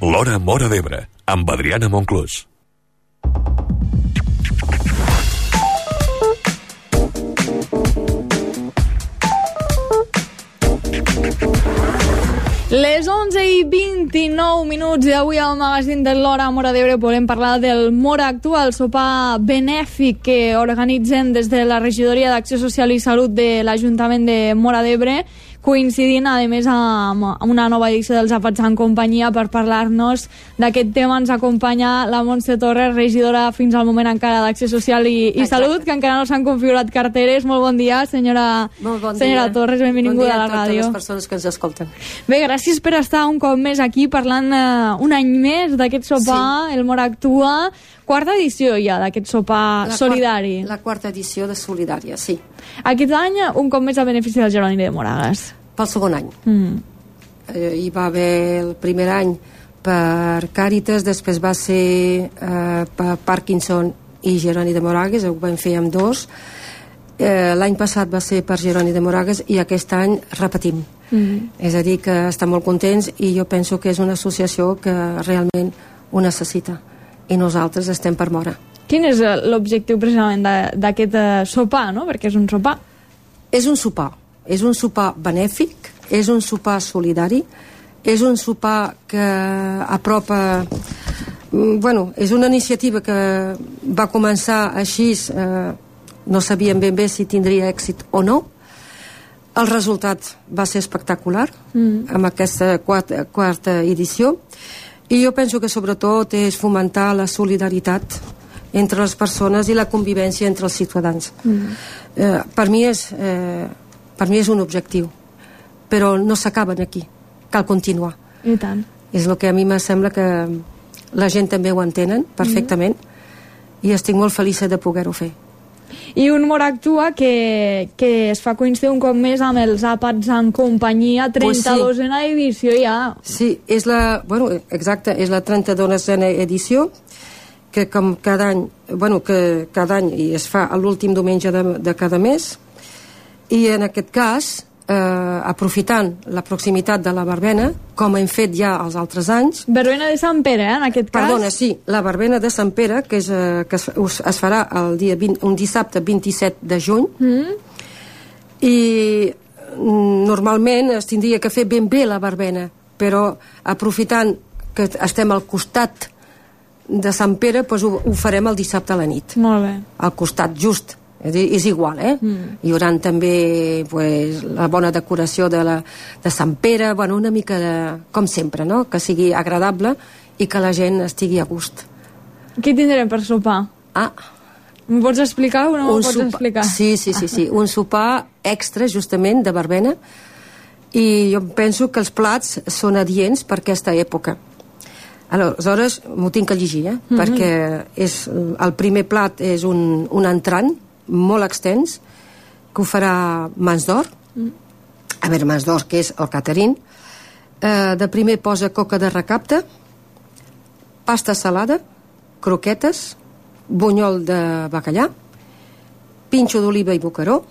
L'Hora Móra d'Ebre, amb Adriana Monclús. Les 11:29 i avui al magazín de l'Hora Móra d'Ebre volem parlar del Móra Actua, el sopar benèfic que organitzen des de la Regidoria d'Acció Social i Salut de l'Ajuntament de Móra d'Ebre, coincidint a més amb una nova edició dels Àpats en Companyia. Per parlar-nos d'aquest tema ens acompanya la Montse Torres, regidora fins al moment encara d'Acció Social i Salut, que encara no s'han configurat carteres. Molt bon dia, senyora Torres, benvinguda a la ràdio. Bon dia a totes les persones que ens escolten. Bé, gràcies per estar un cop més aquí parlant un any més d'aquest sopar, el Móra Actua. Quarta edició ja d'aquest sopar solidari. La quarta edició de Solidària, sí. Aquest any, un cop més a benefici del Jeroni de Moragas. Pel segon any. Hi va haver el primer any per Càritas, després va ser per Parkinson i Jeroni de Moragas, ho vam fer amb dos. L'any passat va ser per Jeroni de Moragas i aquest any repetim. És a dir, que estem molt contents i jo penso que és una associació que realment ho necessita i nosaltres estem per Móra. Quin és l'objectiu precisament d'aquest sopar, no? Perquè és un sopar. És un sopar benèfic, és un sopar solidari, és un sopar que apropa... és una iniciativa que va començar així, no sabíem ben bé si tindria èxit o no. El resultat va ser espectacular amb aquesta quarta edició i jo penso que sobretot és fomentar la solidaritat entre les persones i la convivència entre els ciutadans. Per mi és un objectiu, però no s'acaben aquí, cal continuar. I tant. És el que a mi me sembla que la gent també ho entenen perfectament i estic molt feliç de poder-ho fer. I un Móra Actua que es fa coincidir un cop més amb els Àpats en Companyia, 32a edició ja. Sí, és la 32a edició, que com cada any, i es fa l'últim diumenge de cada mes, i en aquest cas, aprofitant la proximitat de la verbena, com hem fet ja els altres anys. Verbena de Sant Pere, en aquest cas? Perdona, sí, la verbena de Sant Pere, que es farà un dissabte 27 de juny, i normalment es tindria que fer ben bé la verbena, però aprofitant que estem al costat de Sant Pere, doncs ho farem el dissabte a la nit. Molt bé. Al costat, just. És igual, Hi haurà també la bona decoració de Sant Pere, una mica com sempre, no? Que sigui agradable i que la gent estigui a gust. Què tindrem per sopar? M'ho pots explicar o no m'ho pots explicar? Sí, un sopar extra justament de verbena, i jo penso que els plats són adients per aquesta època. Aleshores m'ho tinc que llegir, perquè el primer plat és un entrant molt extens, que ho farà Mans d'Or. Mans d'Or, que és el catering. De primer posa coca de recapte, pasta salada, croquetes, bunyol de bacallà, pinxo d'oliva i bocaró,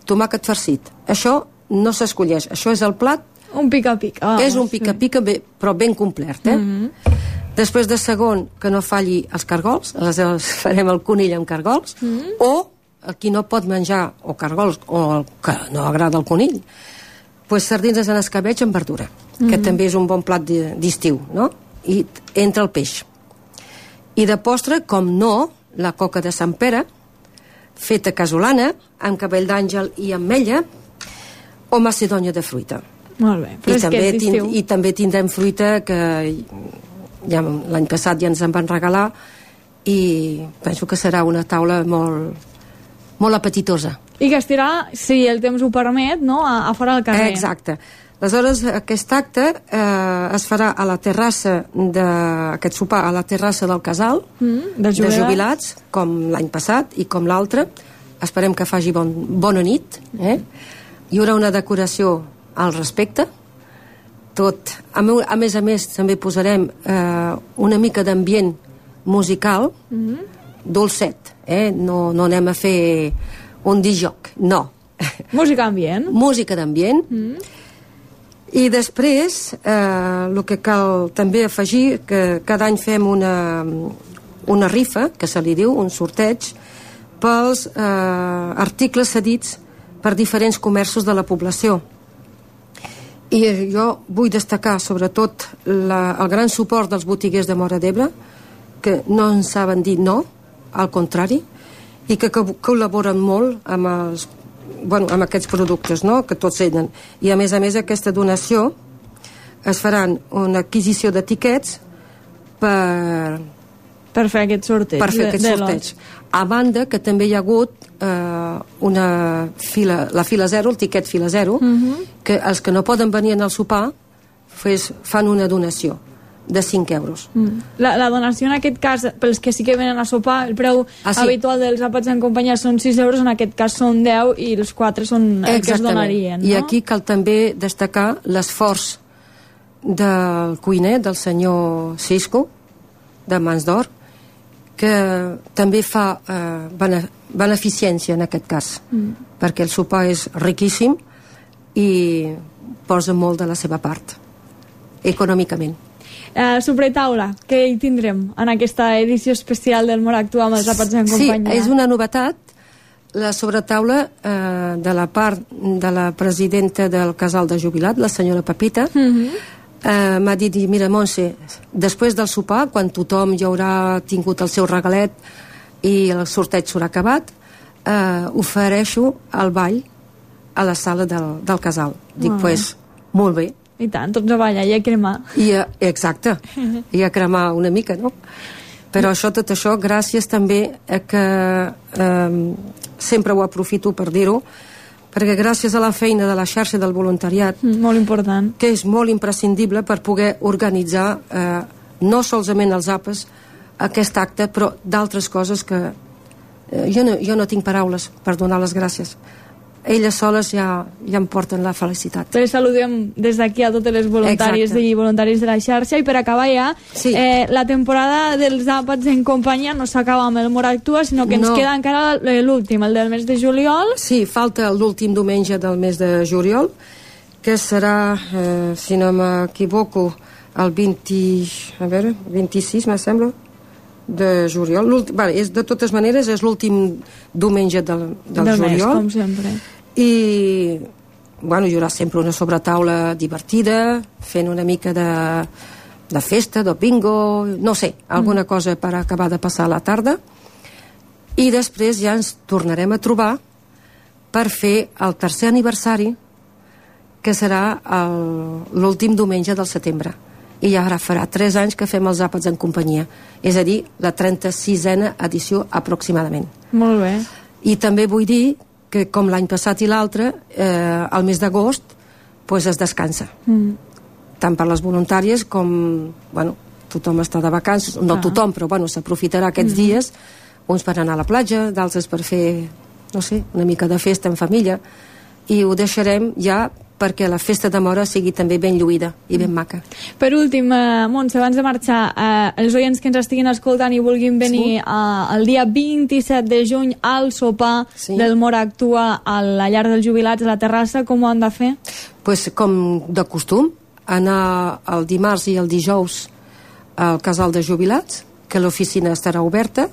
tomàquet farcit. Això no s'escolleix, això és el plat. Un pica-pica. És un pica-pica, però ben complet, Després de segon, que no falli els cargols, aleshores farem el conill amb cargols, o qui no pot menjar o cargols, o que no agrada el conill, sardines en escabeig amb verdura, que també és un bon plat d'estiu, no? I entra el peix. I de postre, com no, la coca de Sant Pere, feta casolana, amb cabell d'àngel i ametlla, o macedònia de fruita. Molt bé, fresquet d'estiu. I també tindrem fruita que ja l'any passat ja ens en van regalar, i penso que serà una taula molt apetitosa. I que estirà, si el temps ho permet, no? a fora del carrer. Exacte. Aleshores, aquest acte es farà a la terrassa aquest sopar a la terrassa del casal de jubilats, com l'any passat i com l'altre. Esperem que faci bona nit. Hi haurà una decoració al respecte, tot. A més, també posarem una mica d'ambient musical, dolcet, no anem a fer un disc-joc, no. Música ambient. Música d'ambient. I després, el que cal també afegir, que cada any fem una rifa, que se li diu, un sorteig, pels articles cedits per diferents comerços de la població. I jo vull destacar sobretot el gran suport dels botiguers de Móra d'Ebre, que no ens saben dir no, al contrari, i que col·laboren molt amb aquests productes, no?, que tots tenen. I a més aquesta donació es faran una adquisició d'etiquets per fer aquest sorteig. Per fer aquest sorteig. A banda que també hi ha hagut la fila 0, el tiquet fila 0, que els que no poden venir al sopar fan una donació de 5 euros. La donació en aquest cas, pels que sí que venen a sopar, el preu habitual dels àpats en companyia són 6 euros, en aquest cas són 10 i els 4 són el que es donarien, no? I aquí cal també destacar l'esforç del cuiner, del senyor Cisco, de Mans d'Or, que també fa beneficència en aquest cas, perquè el sopar és riquíssim i posa molt de la seva part, econòmicament. Sobretaula, què hi tindrem en aquesta edició especial del Móra Actua amb els àpats en companyia? Sí, és una novetat, la sobretaula de la part de la presidenta del casal de jubilat, la senyora Pepita, m'ha dit, mira, Montse, després del sopar, quan tothom ja haurà tingut el seu regalet i el sorteig s'haurà acabat, ofereixo el ball a la sala del casal. Dic, molt bé. I tant, tots a ballar i a cremar. Exacte, i a cremar una mica, no? Però tot això, gràcies també a que sempre ho aprofito per dir-ho, perquè gràcies a la feina de la xarxa del voluntariat, molt important, que és molt imprescindible per poder organitzar no solament els àpats, aquest acte, però d'altres coses que jo no tinc paraules per donar les gràcies. Elles soles ja em porten la felicitat. Les saludem des d'aquí a totes les voluntàries i voluntaris de la xarxa. I per acabar ja, la temporada dels àpats en companyia no s'acaba amb el Móra Actua, sinó que ens queda encara l'últim, el del mes de juliol. Sí, falta l'últim diumenge del mes de juliol, que serà, si no m'equivoco, el 26, me sembla, de juliol. De totes maneres, és l'últim diumenge del juliol. Mes, com sempre. I hi haurà sempre una sobretaula divertida, fent una mica de festa, de bingo, no sé, alguna cosa per acabar de passar la tarda, i després ja ens tornarem a trobar per fer el tercer aniversari, que serà l'últim diumenge del setembre, i ja ara farà 3 anys que fem els àpats en companyia, és a dir, la 36a edició aproximadament. Molt bé. I també vull dir que com l'any passat i l'altre, el mes d'agost es descansa. Tant per les voluntàries com, tothom està de vacances, no tothom, però s'aprofitarà aquests dies, uns per anar a la platja, d'altres per fer, no sé, una mica de festa en família, i ho deixarem ja perquè la festa de Móra sigui també ben lluïda i ben maca. Per últim, Montse, abans de marxar, els oients que ens estiguin escoltant i vulguin venir el dia 27 de juny al sopar del Móra Actua a la llar dels jubilats a la terrassa, com ho han de fer? Com de costum, anar el dimarts i el dijous al casal de jubilats, que l'oficina estarà oberta,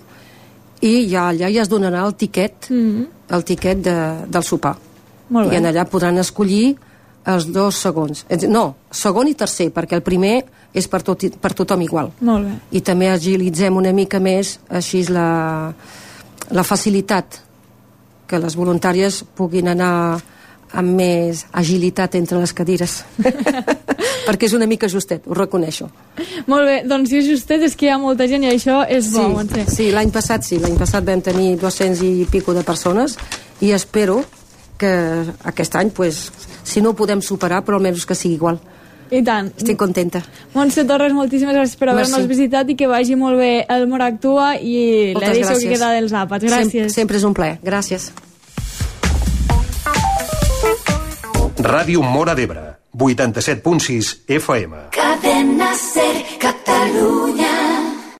i allà ja es donarà el tiquet del sopar. I en allà podran escollir els 2 segons. No, segon i tercer, perquè el primer és per tothom igual. Molt bé. I també agilitzem una mica més així la facilitat, que les voluntàries puguin anar amb més agilitat entre les cadires. Perquè és una mica justet, ho reconeixo. Molt bé, doncs si és justet és que hi ha molta gent i això és bo. Sí, l'any passat vam tenir 200 i pico de persones i espero que aquest any, si no ho podem superar, però almenys que sigui igual. I tant. Estic contenta. Montse Torres, moltíssimes gràcies per haver-nos visitat i que vagi molt bé el Móra Actua i l'edició que queda dels àpats. Gràcies. Sempre és un plaer. Gràcies. Ràdio Móra d'Ebre, 87.6 FM. Cadena Ser, Catalunya.